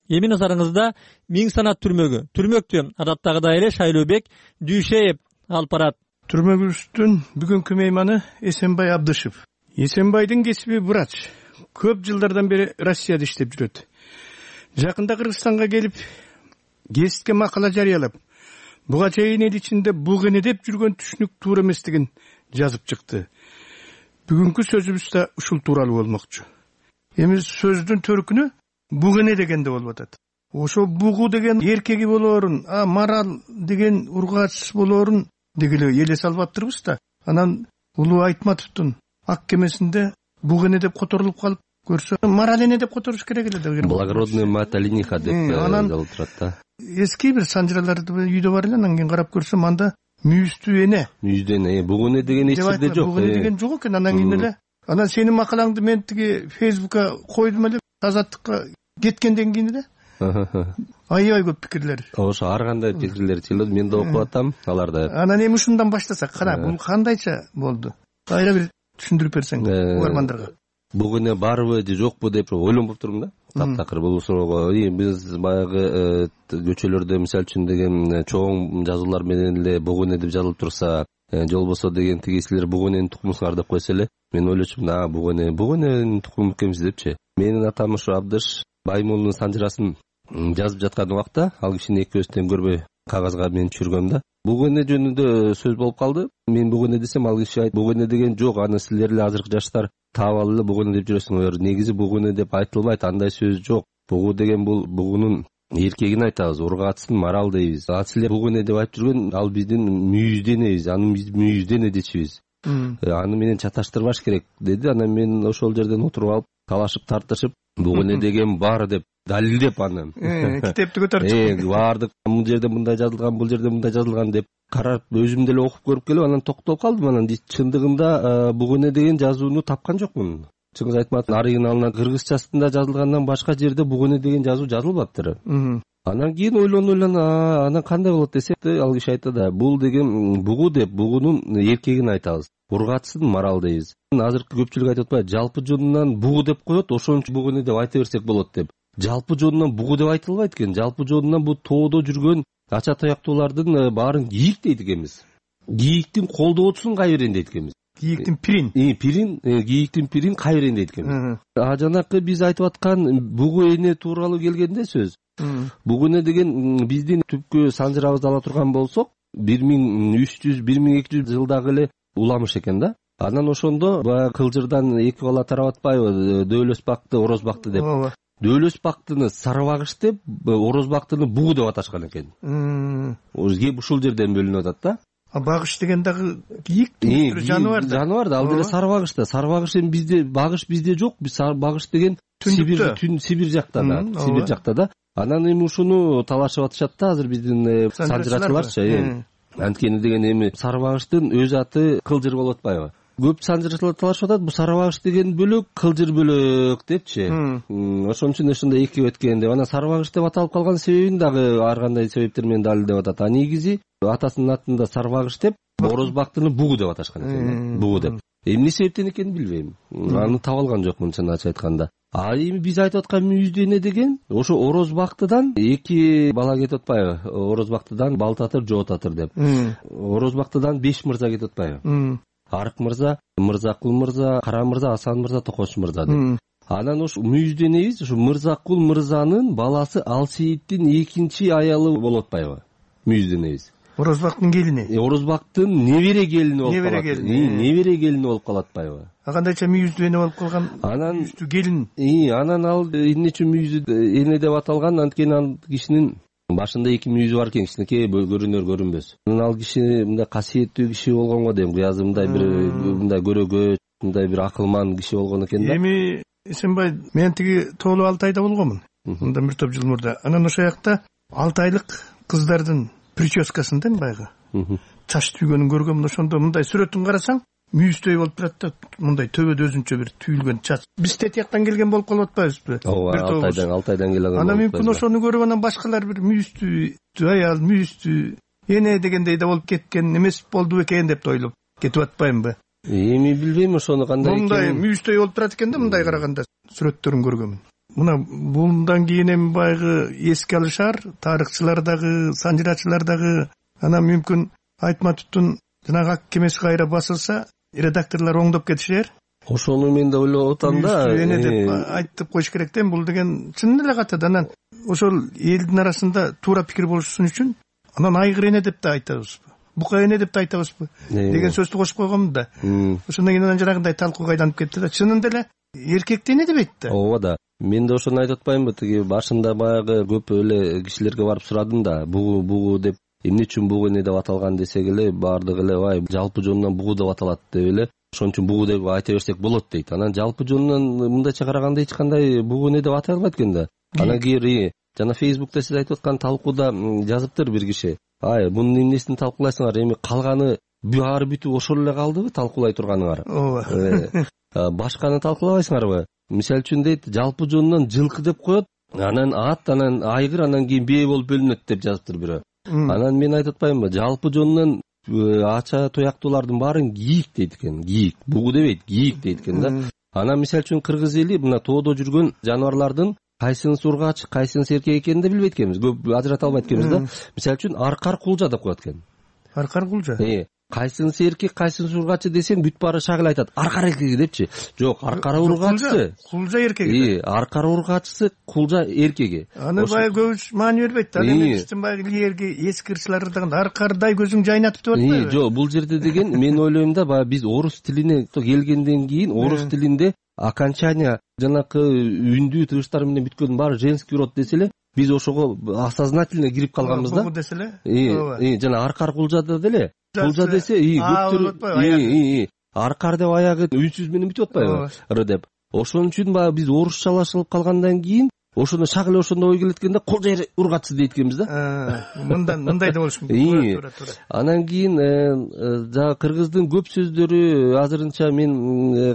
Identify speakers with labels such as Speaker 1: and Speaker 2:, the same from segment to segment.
Speaker 1: Эми назарыңызда Миң санат түрмөктү адаттагыдай эле Шайлообек Дүйшеев алып барат.
Speaker 2: Түрмөгүбүздүн бүгүнкү мейманы Эсенбай Абдышев. Эсенбайдын кесиби врач. Көп жылдардан бери Россияда иштеп жүрөт. Жакында Кыргызстанга келип, гезитке макала жарыялап, буга чейин эл ичинде бугене деп жүргөн түшүнүк туура эместигин жазып чыкты. Бүгүнкү сөзүбүз да ушул тууралуу болмокчу. Эми сөздүн төркүнү бугене дегенде болуп атат. Ошо бугу деген эркеги болоорун, марал деген ургач болоорун дегеле эле салып аптырбыз да. Анан Улуу Айтматовдун ак кемесинде бугене деп которулуп калып көрсө, марал эне деп которуш керек эле да.
Speaker 3: Благородная мать олениха деп жазылып турат да.
Speaker 2: Эски бир санжыраларды үйдө бар эле, анан кийин карап көрсөм анда мүйүздүү эне.
Speaker 3: Мүйүздүү эне, бугене деген эч жерде жок.
Speaker 2: Бугене деген жок экен. Анан кийин эле анан сенин макалаңды мен тиги Фейсбукка койдум эле, Азаттыкка кеткенден кийин эле аябай көп пикирлер.
Speaker 3: Ошо ар кандай пикирлер чыгат, мен да окуп атам аларды.
Speaker 2: Анан эми ушундан баштасак, кара бул кандайча болду? Кайра бир түшүндүрүп берсең угармандарга.
Speaker 3: Бугене барбы же жокпу деп ойлонуп турдум да. Таптакыр бул суроого. Биз баягы көчөлөрдө мисалы үчүн деген чоң жазуулар менен эле бугене деп жазылып турса, же болбосо деген тигисилер бугененин тукумусуңар деп койсо эле, мен ойлочумун, бугененин тукуму экенбиз депчи. Менин атам ушу Абдыш Баймолдун санжырасын жазып жаткан убакта ал кишини экөөбүз тең көрбөй кагазга мен түшүргөм да. Бугене жөнүндө сөз болуп калды. Мен бугене десем, ал киши айтты, бугене деген жок, аны силер эле азыркы жаштар таап алып эле бугене деп жүрөсүңөр. Негизи бугене деп айтылбайт, андай сөз жок. Бугу деген бул бугунун эркегин айтабыз, ургатсын, марал дейбиз. А силер бугене деп айтып жүргөн ал биздин мүйүздүү энебиз, аны биз мүйүздүү эне дечибиз. Аны менен чаташтырбаш керек деди. Анан мен ошол жерден отуруп алып, талашып тартышып, бугене деген бар деп далилдеп аны китепти көтөрүп бардык, бул жерде мындай жазылган, бул жерде мындай жазылган деп карап, өзүм деле окуп көрүп келип, анан токтолуп калдым. Анан чындыгында бугене деген жазууну тапкан жокмун. Чыңгыз Айтматовдун оригиналынан кыргызчасында жазылгандан башка жерде бугене деген жазуу жазылбаптыр. Анан кийин ойлонуп, анан кандай болот десек, ал киши айтты да, бул деген бугу деп бугунун эркегин айтабыз. Ургатсын, марал дейбиз. Азыркы көпчүлүк айтып атпайбы, жалпы жонунан бугу деп коет, ошон үчүн бугене деп айта берсек болот деп. Жалпы жонунан бугу деп айтылбайт экен. Жалпы жонунан бул тоодо жүргөн ача таяктуулардын баарын кийик дейт экенбиз. Кийиктин колдоочусун кайберен дейт экенбиз.
Speaker 2: Кийиктин пирин.
Speaker 3: Кийиктин пирин кайберен дейт экенбиз. Жанакы биз айтып аткан бугу эне тууралуу келгенде сөз. Бугене деген биздин түпкү санжырабызды ала турган болсок, 1300-1200 жылдагы эле уламыш экен да. Анан ошондо баягы кылжырдан эки бала тарап атпайбы, дөөлөс-бакты, ороз-бакты деп. Дөөлөс-бактыны сарыбагыш деп, ороз-бактыны бугу деп аташкан экен. Кеп ушул жерден бөлүнүп атат да.
Speaker 2: Багыш деген дагы кийик жаныбар да.
Speaker 3: Жаныбар да, ал деле сарыбагыш да. Сарыбагыш эми бизде, багыш бизде жок. Биз багыш деген Сибир жакта да, Сибир жакта да. Анан эми ушуну талашып атышат да азыр биздин санжырачыларчы. Анткени деген эми сарыбагыштын өз аты кылжыр болуп атпайбы? Көп санжырачылар талашып атат, бул сарыбагыш деген бөлөк, кылжыр бөлөк депчи. Ошон үчүн ошондой эки өткөн деп. Анан сарыбагыш деп аталып калган себебин дагы ар кандай себептер менен далилдеп атат. А негизи атасынын атында сарыбагыш деп, орозбактыны бугу деп аташкан экен. Бугу деп. Эмне себептен экенин билбейм. Аны таба алган жокмун чын ачык айтканда. А эми биз айтып аткан мүйүздүү эне деген ошо орозбактыдан эки бала кетип атпайбы? Орозбактыдан Балтатыр, Жоотатыр деп. Орозбактыдан 5 мырза кетип атпайбы? Арык мырза, Мырзакул мырза, Кара мырза, Асан мырза, Токош мырза деп. Анан ошо мүйүздүү энебиз ушу Мырзакул мырзанын баласы Алсейиттин экинчи аялы болуп атпайбы? Мүйүздүү энебиз.
Speaker 2: Орозбактын келини.
Speaker 3: Орозбактын небере келини болуп калат. Небере келини болуп калат атпайбы?
Speaker 2: Кандайча мүйүздүү эне болуп калган?
Speaker 3: Анан
Speaker 2: мүйүздүү келин.
Speaker 3: Анан ал эмне үчүн мүйүздүү эне деп аталган? Анткени ал кишинин башында эки мүйүзү бар экен, кичинекей көрүнөр көрүнбөс. Анан ал киши мындай касиеттүү киши болгонго дейм, кыязы мындай бир мындай көрөгөч, мындай бир акылман киши болгон экен да.
Speaker 2: Эми Эсенбай, мен тиги тоолуу Алтайда болгонмун. Мындан бир топ жыл мурда. Анан ошол жакта 6 айлык кыздардын прическасында баягы чач түйгөнүн көргөмүн. Ошондо мындай сүрөтүн карасаң, мүйүздөй болуп турат да, мындай төбөдө өзүнчө бир түйүлгөн чач. Биз тетияктан келген болуп калып атпайбызбы?
Speaker 3: Алтайдан келген.
Speaker 2: Анан мүмкүн ошону көрүп анан башкалар бир мүйүздүү аял, мүйүздүү эне дегендей да болуп кеткен эмес болду экен деп ойлоп кетип атпаймынбы?
Speaker 3: Эми билбейм ошону кандай
Speaker 2: экенин. Мындай мүйүздөй болуп турат экен да, мындай караганда сүрөттөрүн көргөмүн. мына bundan кийин эми баягы эске алышар, тарыхчылар дагы, санжырачылар дагы, анан мүмкүн айтма туттун жанагы ак кемеси кайра басылса, редакторлор оңдоп кетишер.
Speaker 3: Ошону мен да ойлоп атам да.
Speaker 2: Эне деп айтып коюш керек да, бул деген чын эле катат. Анан ошол элдин арасында туура пикир болушун үчүн анан айгыр эне деп да айтабызбы, бука эне деп да айтабызбы деген сөздү кошуп койгонмун да. Ошондон кийин анан жанагындай талкууга айланып кетти да. Чынында эле эркекти эне дебейт да.
Speaker 3: Ооба да. Мен да ошону айтып атпаймынбы, тиги башында баягы көп эле кишилерге барып сурадым да, бугу деп эмне үчүн бугу эне деп аталган десек эле, баардыгы эле ай жалпы жонунан бугу деп аталат деп эле, ошон үчүн бугу деп айта берсек болот дейт. Анан жалпы жонунан мындайча караганда эч кандай бугу эне деп атай албайт экен да. Анан кийин жана Facebook'та сиз айтып аткан талкууда жазыптыр бир киши. Ай, мунун эмнесин талкуулайсыңар, эми калганы баары бүтүп ошол эле калдыбы талкуулай турганыңар? Ооба. Башканы талкуулабайсыңарбы? Мисалы үчүн дейт, жалпы жонунан жылкы деп коет, анан ат, анан айгыр, анан кийин бээ болуп бөлүнөт деп жазыптыр бирөө. Анан мен айтып атпаймынбы, жалпы жонунан ача тояктуулардын баарын кийик дейт экен. Кийик, бугу дебейт, кийик дейт экен да. Анан мисалы үчүн кыргыз эли мына тоодо жүргөн жаныбарлардын кайсынысы ургач, кайсынысы эркек экенин да билбейт экенбиз. Көп ажырата албайт экенбиз да. Мисалы үчүн аркар кулжа деп коет экен. Аркар кулжа? Кайсынысы эркек, кайсынысы ургачы десем, бүт баары шагыл айтат. Аркар эркеги депчи. Жок, аркар ургачысы.
Speaker 2: Кулжа эркеги.
Speaker 3: Аркар ургачысы, кулжа эркеги.
Speaker 2: Аны баягы көбүс маани бербейт да. Эми биздин баягы илгерки эски ырчылар дагы аркардай көзүң жайнатып деп атпайбы?
Speaker 3: Жок, бул жерде деген мен ойлойм да, баягы биз орус тилине келгенден кийин орус тилинде окончание жанакы үндүү тыгыштар менен бүткөндүн баары женский род десе эле, биз ошого осознательно кирип калганбыз да.
Speaker 2: Бугу десе эле.
Speaker 3: Жана аркар кулжада деле. Кулжа десе, көптөр аркар деп аягы үнсүз менен бүтүп атпайбы? Р деп. Ошон үчүн баягы биз орусчалашылып калгандан кийин ошону шагыл ошондой ой келет экен да, кулжа ургачысы дейт экенбиз да.
Speaker 2: Мындай да болуш мүмкүн.
Speaker 3: Анан кийин жана кыргыздын көп сөздөрү азырынча мен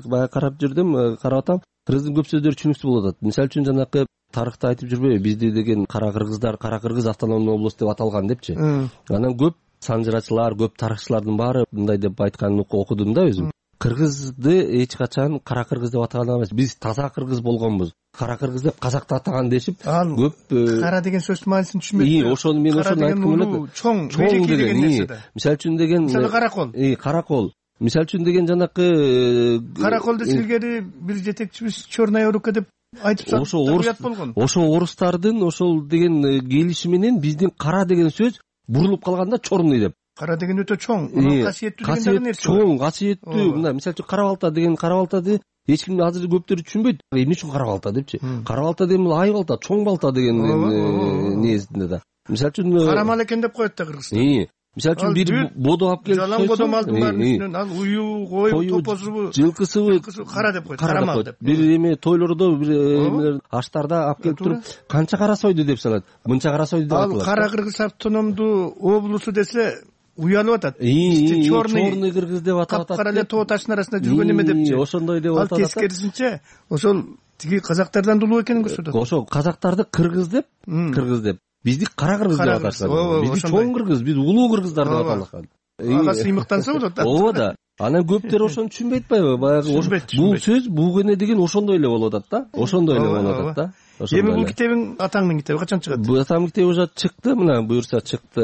Speaker 3: баягы карап жүрдүм, карап атам. Кыргыздын көп сөздөрү түшүнүксүз болуп атат. Мисалы үчүн жанакы тарыхта айтып жүрбөйбү, бизди деген кара кыргыздар, кара кыргыз автономный область деп аталган депчи. Анан көп санжырачылар, көп тарыхчылардын баары мындай деп айтканын окудум да өзүм. Кыргызды эч качан кара кыргыз деп атаган эмес. Биз таза кыргыз болгонбуз. Кара кыргыз деп казакты атаган дешип, көп
Speaker 2: кара деген сөздүн маанисин түшүнбөйт.
Speaker 3: Ошону мен ошону айткым келет.
Speaker 2: Чоң деген нерсе да.
Speaker 3: Мисалы үчүн деген
Speaker 2: каракол.
Speaker 3: Каракол. Мисалы үчүн деген жанакы
Speaker 2: каракол десе илгери бир жетекчибиз черная рука деп айтып болгон.
Speaker 3: Ошо орустардын ошол деген келиши менен биздин кара деген сөз бурулуп калганда чорный деп.
Speaker 2: Кара деген өтө чоң, касиеттүү деген нерсе.
Speaker 3: Чоң, касиеттүү. Мына мисалы үчүн кара балта деген кара балта эч ким азыр көптөр түшүнбөйт. Эмне үчүн кара балта депчи. Кара балта деген бул ай балта, чоң балта деген несинде да. Мисалы үчүн
Speaker 2: карамал экен деп коет да кыргыздар.
Speaker 3: Мисалы үчүн бир бодо алып келип
Speaker 2: жалаң бодо малдын баардын үстүнөн ал уюу, кою, топозубу,
Speaker 3: жылкысыбы
Speaker 2: кара деп коет, карамал деп.
Speaker 3: Бир эме тойлордо, бир аштарда алып келип туруп канча кара сойду деп салат. Мынча кара сойду деп аталат.
Speaker 2: Ал кара кыргыз автономдуу облусу десе уялып атат. Черный
Speaker 3: кыргыз деп аталат.
Speaker 2: Капкара эле тоо таштын арасында жүргөн эме депчи.
Speaker 3: Ошондой деп аталат.
Speaker 2: Ал тескерисинче ошол тиги казактардан улуу экенин көрсөтөт.
Speaker 3: Ошо казактарды кыргыз деп, бизди кара кыргыз деп аташат. Бизди чоң кыргыз, биз улуу кыргыздар деп аталган.
Speaker 2: Ага сыймыктанса болот да.
Speaker 3: Ооба да. Анан көптөр ошону түшүнбөй атпайбы? Баягы бул сөз буг эне деген ошондой эле болуп атат да. Ошондой эле болуп атат да.
Speaker 2: Эми бул китебиң, атаңдын китеби качан чыгат?
Speaker 3: Бул атамдын китеби уже чыкты, мына буюрса чыкты.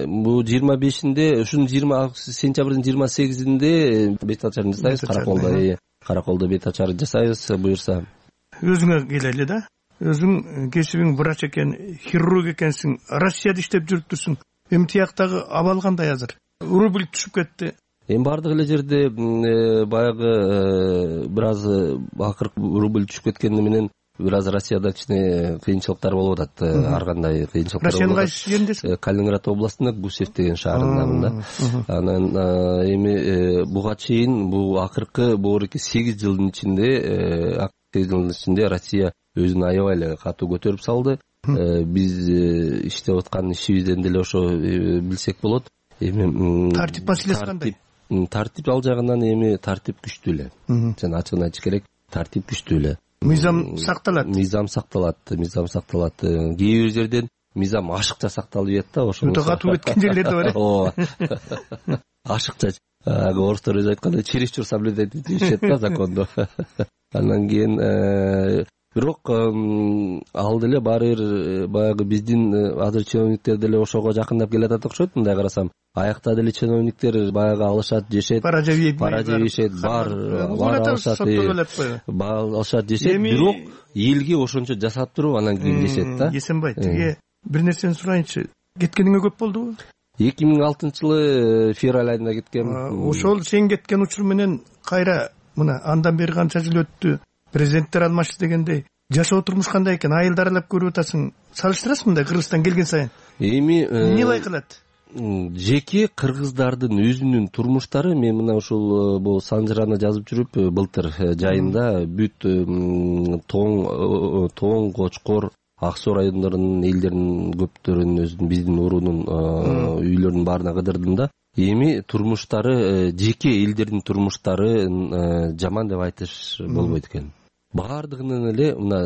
Speaker 3: Бул 25-inde, ушунун сентябрдын 28-inde бет ачарын жасайбыз, Караколдо бет ачарын жасайбыз буюрса.
Speaker 2: Өзүңө келели да. Өзүң кесибиң врач экен, хирург экенсиң, Россияда иштеп жүрүптүрсүң. Эми тияктагы абал кандай азыр? Рубль түшүп кетти.
Speaker 3: Эми бардык эле жерде баягы бир аз акыркы рубль түшүп кеткени менен бир аз Россияда кичине кыйынчылыктар болуп атат. Ар кандай кыйынчылыктар.
Speaker 2: Россиянын кайсы жериндесиң?
Speaker 3: Калининград областында Гусев деген шаарында. Анан эми буга чейин бул акыркы 8 жылдын ичинде Россия өзүн аябай эле катуу көтөрүп салды. Биз иштеп аткан ишибизден деле ошо билсек болот. Эми
Speaker 2: тартип маселеси кандай?
Speaker 3: Тартип ал жагынан эми тартип күчтүү эле. Жана ачыгын айтыш керек, тартип күчтүү эле.
Speaker 2: Мыйзам сакталат.
Speaker 3: Мыйзам сакталат. Кээ бир жерден мыйзам ашыкча сакталып жатат да, ошо.
Speaker 2: Өтө катуу өткөн жерлер да бар.
Speaker 3: Ооба. Ашыкча. Орустар өзү айткандай чересчур соблюдать этишет да законду. Андан кийин бирок ал деле баары бир баягы биздин азыр чиновниктер деле ошого жакындап келатат окшойт. Мындай карасам аякта деле чиновниктер баягы алышат, жешет, пара жебейшет, алышат, жешет, бирок элге ошончо жасап туруп анан кийин жешет да.
Speaker 2: Эсенбай, тиги бир нерсени сурайынчы. Кеткениңе көп болдубу?
Speaker 3: 2006-жылы февраль айында кеткем.
Speaker 2: Ошол сен кеткен учур менен кайра мына андан бери канча жыл өттү, президенттер алмашты дегендей жашоо турмуш кандай экен? Айылды аралап көрүп атасың. Салыштырасың мындай Кыргызстан келген сайын?
Speaker 3: Эми
Speaker 2: эмне байкалат?
Speaker 3: Жеке кыргыздардын өзүнүн турмуштары, мен мына ушул бул Санжыраны жазып жүрүп былтыр жайында бүт Тоң, Кочкор, Ак Суу райондорунун элдеринин көптөрүн өзүнүн биздин уруунун үйлөрүнүн баарына кыдырдым да. Эми турмуштары, жеке элдердин турмуштары жаман деп айтыш болбойт экен. Баардыгынын эле мына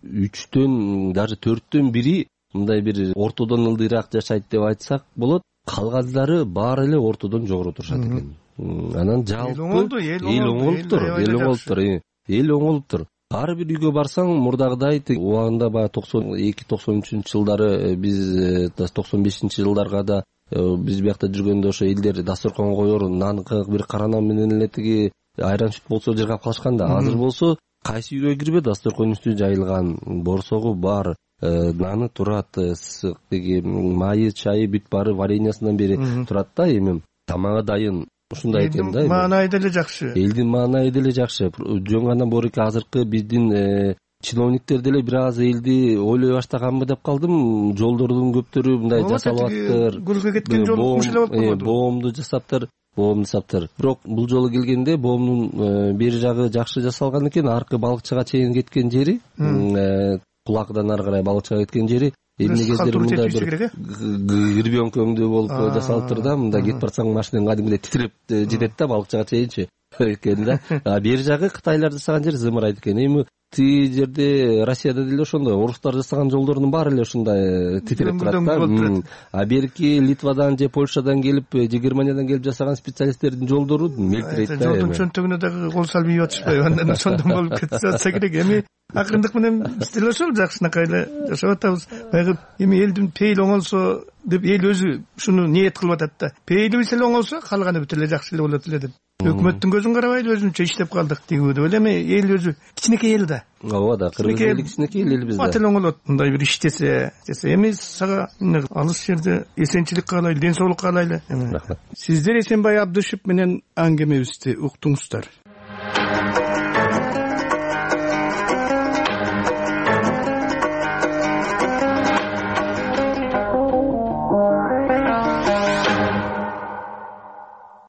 Speaker 3: 3-төн, даже 4-төн бири мындай бир ортодон ылдыйраак жашайт деп айтсак болот. Калгандары баары эле ортодон жогору турушат экен. Анан жалпы эл оңолуптур. Ар бир үйгө барсаң мурдагыдай убагында баягы 92-93 жылдары биз 95-жылдарга да биз биякта жүргөндө ошо элдер дасторконго коер нан бир кара нан менен эле тиги айран сүт болсо жыргап калышкан да. Азыр болсо кайсы үйгө кирбе дасторконун үстү жайылган, борсогу бар, наны турат, тиги майы, чайы бүт баары вареньясынан бери турат да. Эми тамагы дайын. Ушундай экен да.
Speaker 2: Маанайы деле жакшы.
Speaker 3: Элдин маанайы деле жакшы. Жөн гана борки азыркы биздин чиновниктер деле бир аз элди ойлой баштаганбы деп калдым. Жолдордун көптөрү мындай жасалып атыптыр.
Speaker 2: Гүлгө кеткен жол ушулай болуп калбадыбы?
Speaker 3: Боомду жасаптыр. Бирок бул жолу келгенде боомдун бери жагы жакшы жасалган экен. Аркы балыкчыга чейин кеткен жери, кулакдан ары карай балыкчыга кеткен жери эмне кездер мындай бир гребенкөңдүү болуп жасалыптыр да. Мындай кетип барсаң машинаң кадимгидей титиреп жетет да балыкчыга чейинчи экен да. Бери жагы Кытайлар жасаган жер зымырайт экен. Эми тиги жерде Россияда деле ошондой орустар жасаган жолдордун баары эле ушундай титиреп турат да. Берки Литвадан же Польшадан келип, же Германиядан келип жасаган специалисттердин жолдору мелтирейт да.
Speaker 2: Жолдун чөнтөгүнө дагы кол салып ийип атышпайбы? Андан ошондон болуп кетсе атса керек. Эми акырындык менен биз деле ошол жакшынакай эле жашап атабыз. Баягы эми элдин пейили оңолсо деп эл өзү ушуну ниет кылып атат да. Пейилибиз эле оңолсо калганы бүт эле жакшы эле болот эле деп. Өкмөттүн көзүн карабайлы өзүнчө иштеп калдык тигүү деп эле. Эми эл өзү кичинекей эл да.
Speaker 3: Ооба да, кыргыз эли кичинекей эл бизде.
Speaker 2: Бат эле оңолот мындай бир иштесе. Эми сага алыс жерде эсенчилик каалайлы, ден соолук каалайлы.
Speaker 3: Рахмат.
Speaker 2: Сиздер Эсенбай Абдышев менен аңгемебизди уктуңуздар.